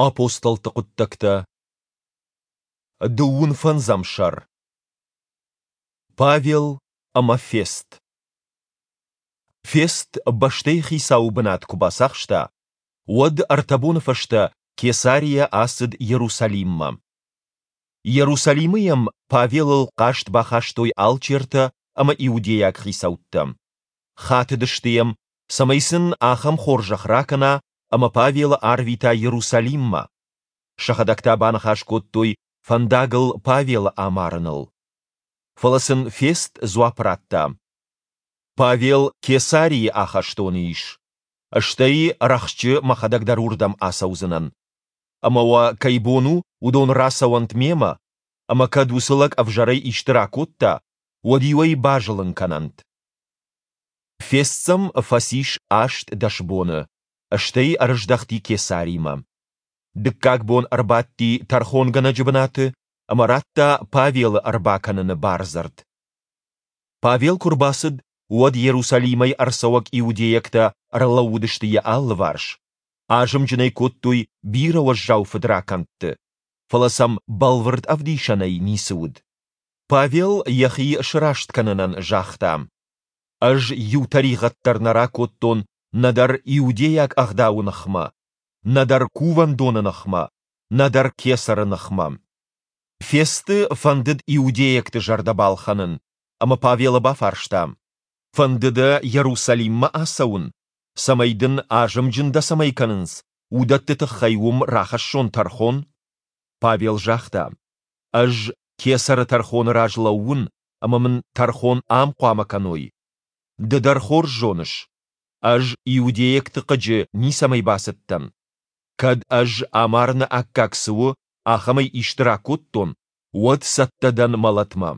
Апостолты хъуыддӕгтӕ Дыууын фӕндзӕм сӕр Павел ӕмӕ Фест Фест бӕстӕйы хицауы бынат куы бацахста, уӕд ӕртӕ боны фӕстӕ Кесарийӕ ацыд Иерусалиммӕ. Иерусалимы йӕм Павелыл хъаст бахастой алчертӕ ӕмӕ иудейаг хицӕуттӕ. Хатыдысты йӕм, цӕмӕй сын ахӕм хорзӕх ракӕна, ӕмӕ Павелы арвита Иерусалиммӕ. Сӕхӕдӕг та баныхас кодтой фӕндагыл Павелы амарыныл. Фӕлӕ сын Фест дзуапп радта: Павел Кесарийы ахӕстоны ис. Стӕй рӕхджы мӕхӕдӕг дӕр уырдӕм ацӕудзынӕн. Ӕмӕ уӕ кӕй бон у, уыдон рацӕуӕнт мемӕ, ӕмӕ кӕд уыцы лӕг ӕвзӕрӕй исты ракодта, уӕд-иу ӕй базылын кӕнӕнт. Фест сӕм фӕцис 18 боны, стӕй ӕрыздӕхти Кесаримӕ. Дыккаг бон ӕрбадти тӕрхонгӕнӕджы бынаты ӕмӕ радта Павелы ӕрбакӕныны бардзырд. Павел куы рбацыд, уӕд Иерусалимӕй ӕрцӕуӕг иудейӕгтӕ ӕрлӕууыдысты йӕ алыварс, азымджын ӕй кодтой бирӕ уӕззау фыдракӕндты, фӕлӕ сӕм бӕлвырд ӕвдисӕнӕй ницы уыд. Павел йӕхи сраст кӕнынӕн загъта: Ӕз иу тӕригъӕд дӕр нӕ ракодтон нӕдӕр иудейаг ӕгъдауы ныхмӕ, нӕдӕр кувӕндоны ныхмӕ, нӕдӕр кесӕры ныхмӕ. Фесты фӕндыд иудейӕгты зӕрдӕ балхӕнын, ӕмӕ Павелы бафарста: Фӕнды дӕ Иерусалиммӕ ацӕуын, цӕмӕй дын, азымджын дӕ цӕмӕй кӕнынц, уыдӕтты тыххӕй уым рахӕссон тӕрхон? Павел загъта: Ӕз кесӕры тӕрхоны раз лӕууын, ӕмӕ мын тӕрхон ам хъуамӕ кӕной. Ды дӕр хорз зоныс, ӕз иудейӕгты хъыджы ницӕмӕй бацыдтӕн. Кӕд ӕз амарыны аккаг цы у, ахӕмӕй исты ракодтон, уӕд цӕттӕ дӕн мӕлӕтмӕ.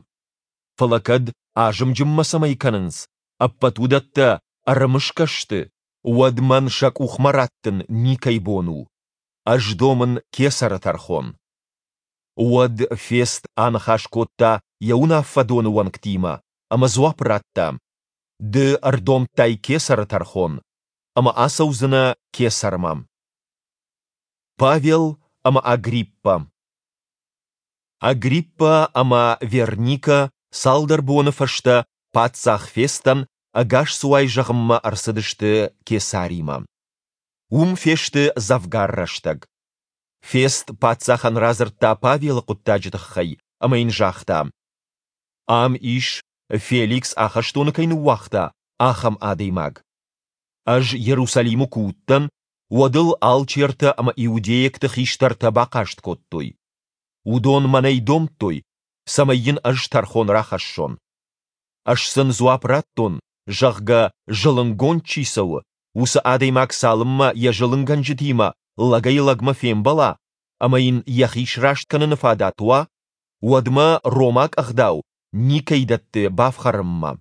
Фӕлӕ кӕд азымджын мӕ цӕмӕй кӕнынц, ӕппӕт уыдӕттӕ ӕрымысгӕ сты, уӕд мӕн сӕ къухмӕ раттын никӕй бон у. Ӕз домын кесӕры тӕрхон. Уӕд Фест аныхас кодта йӕ уынаффӕдоны уӕнгтимӕ ӕмӕ дзуапп радта: Ды ӕрдомдтай кесӕры тӕрхон, ӕмӕ ацӕудзынӕ кесӕрмӕ. Павел ӕмӕ Агриппӕ Агриппӕ ӕмӕ Верникӕ цалдӕр боны фӕстӕ паддзах Фестӕн ӕгасцуай зӕгъынмӕ ӕрцыдысты Кесаримӕ. Уым фесты дзӕвгар рӕстӕг. Фест паддзахӕн радзырдта Павелы хъуыддаджы тыххӕй ӕмӕ йын загъта: Ам ис, Феликс ахӕстоны кӕй ныууагъта, ахӕм адӕймаг. Ӕз Иерусалимы куы уыдтӕн, уӕд ыл алчертӕ ӕмӕ иудейӕгты хистӕртӕ бахъаст кодтой. Уыдон мӕнӕй домдтой, цӕмӕй йын ӕз тӕрхон рахӕссон. Ӕз сын дзуапп радтон, зӕгъгӕ, зылынгонд чи цӕуы, уыцы адӕймаг цалынмӕ йӕ зылынгӕнджытимӕ лӕгӕй-лӕгмӕ фембӕла ӕмӕ йын йӕхи сраст кӕныны фадат уа, уӕдмӕ ромаг ӕгъдау никӕй дӕтты бафхӕрынмӕ.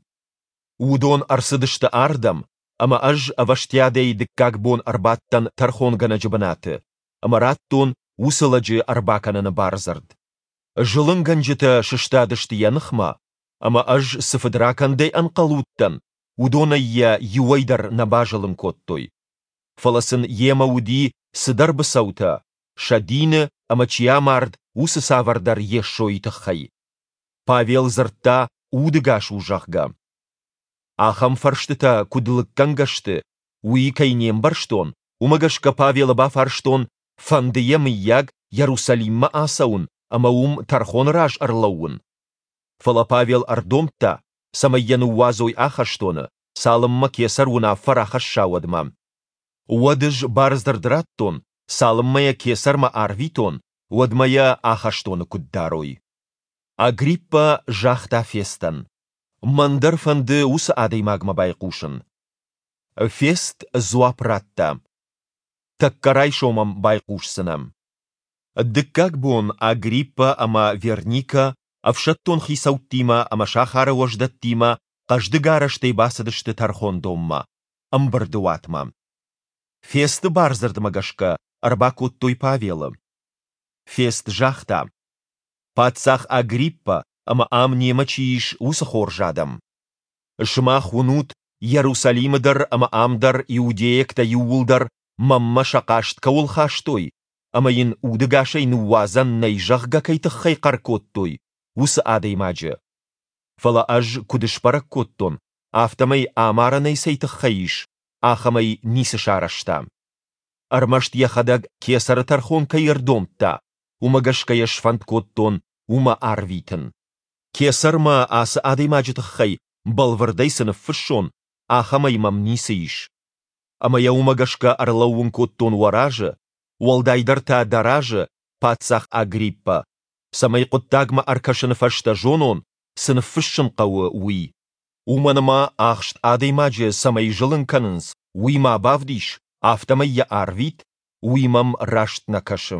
Уыдон ӕрцыдысты ардӕм, ӕмӕ ӕз ӕвӕстиатӕй дыккаг бон ӕрбадтӕн тӕрхонгӕнӕджы бынаты ӕмӕ радтон уыцы лӕджы ӕрбакӕныны бардзырд. Зылынгӕнджытӕ сыстадысты йӕ ныхмӕ, ӕмӕ ӕз цы фыдракӕндӕй ӕнхъӕл уыдтӕн, уыдонӕй йӕ иуӕй дӕр нӕ базылын кодтой. Фӕлӕ сын йемӕ уыди цыдӕр быцӕутӕ, сӕ дины ӕмӕ чи амард, уыцы цавӕрдӕр Йесойы тыххӕй. Павел дзырдта, удӕгас у, зӕгъгӕ. Ахӕм фӕрстытӕ куыд лыггӕнгӕ сты, уый кӕй не мбӕрстон, уымӕ гӕсгӕ Павелы бафарстон, фӕнды йӕ, мыййаг, Иерусалиммӕ ацӕуын ӕмӕ уым тӕрхоны раз ӕрлӕууын? Фӕлӕ Павел ӕрдомдта, цӕмӕй йӕ ныууадзой ахӕстоны, цалынмӕ кесӕр уынаффӕ рахӕсса, уӕдмӕ. Уӕд ӕз бардзырд радтон, цалынмӕ йӕ кесӕрмӕ арвитон, уӕдмӕ йӕ ахӕстоны куыд дарой. Агриппӕ загъта Фестӕн: Мӕн дӕр фӕнды уыцы адӕймагмӕ байхъусын. Фест дзуапп радта: Тӕккӕ райсом ӕм байхъусдзынӕ. Дыккаг бон Агриппӕ ӕмӕ Верникӕ ӕфсӕддон хицӕуттимӕ ӕмӕ сахары уӕздӕттимӕ хъӕздыг арӕзтӕй бацыдысты тӕрхондонмӕ, ӕмбырды уатмӕ. Фесты бардзырдмӕ гӕсгӕ ӕрбакодтой Павелы. Фест загъта: Паддзах Агриппӕ ӕмӕ ам немӕ чи ис, уыцы хорз адӕм! Сымах уынут, Иерусалимы дӕр ӕмӕ ам дӕр иудейӕгтӕ иууылдӕр мӕнмӕ сӕ хъаст кӕуыл хастой, ӕмӕ йын удӕгасӕй ныууадзӕн нӕй, зӕгъгӕ, кӕй тыххӕй хъӕр кодтой, уыцы адӕймаджы. Фӕлӕ ӕз куыд сбӕрӕг кодтон, афтӕмӕй амарӕн ӕй цӕй тыххӕй ис, ахӕмӕй ницы сарӕзта. Ӕрмӕст йӕхӕдӕг кесӕры тӕрхон кӕй ӕрдомдта, уымӕ гӕсгӕ йӕ сфӕнд кодтон уымӕ арвитын. Кесӕрмӕ ацы адӕймаджы тыххӕй бӕлвырдӕй цы ныффыссон, ахӕмӕй мӕм ницы ис. Ӕмӕ йӕ уымӕ гӕсгӕ ӕрлӕууын кодтон уӕ разы, уӕлдайдӕр та дӕ разы, паддзах Агриппӕ, цӕмӕй хъуыддагмӕ ӕркӕсыны фӕстӕ зонон, цы ныффыссын хъӕуы, уый. Уымӕн ӕмӕ ахст адӕймаджы цӕмӕй зылын кӕнынц, уый ма бавдис, афтӕмӕй йӕ арвит, уый мӕм раст нӕ кӕсы.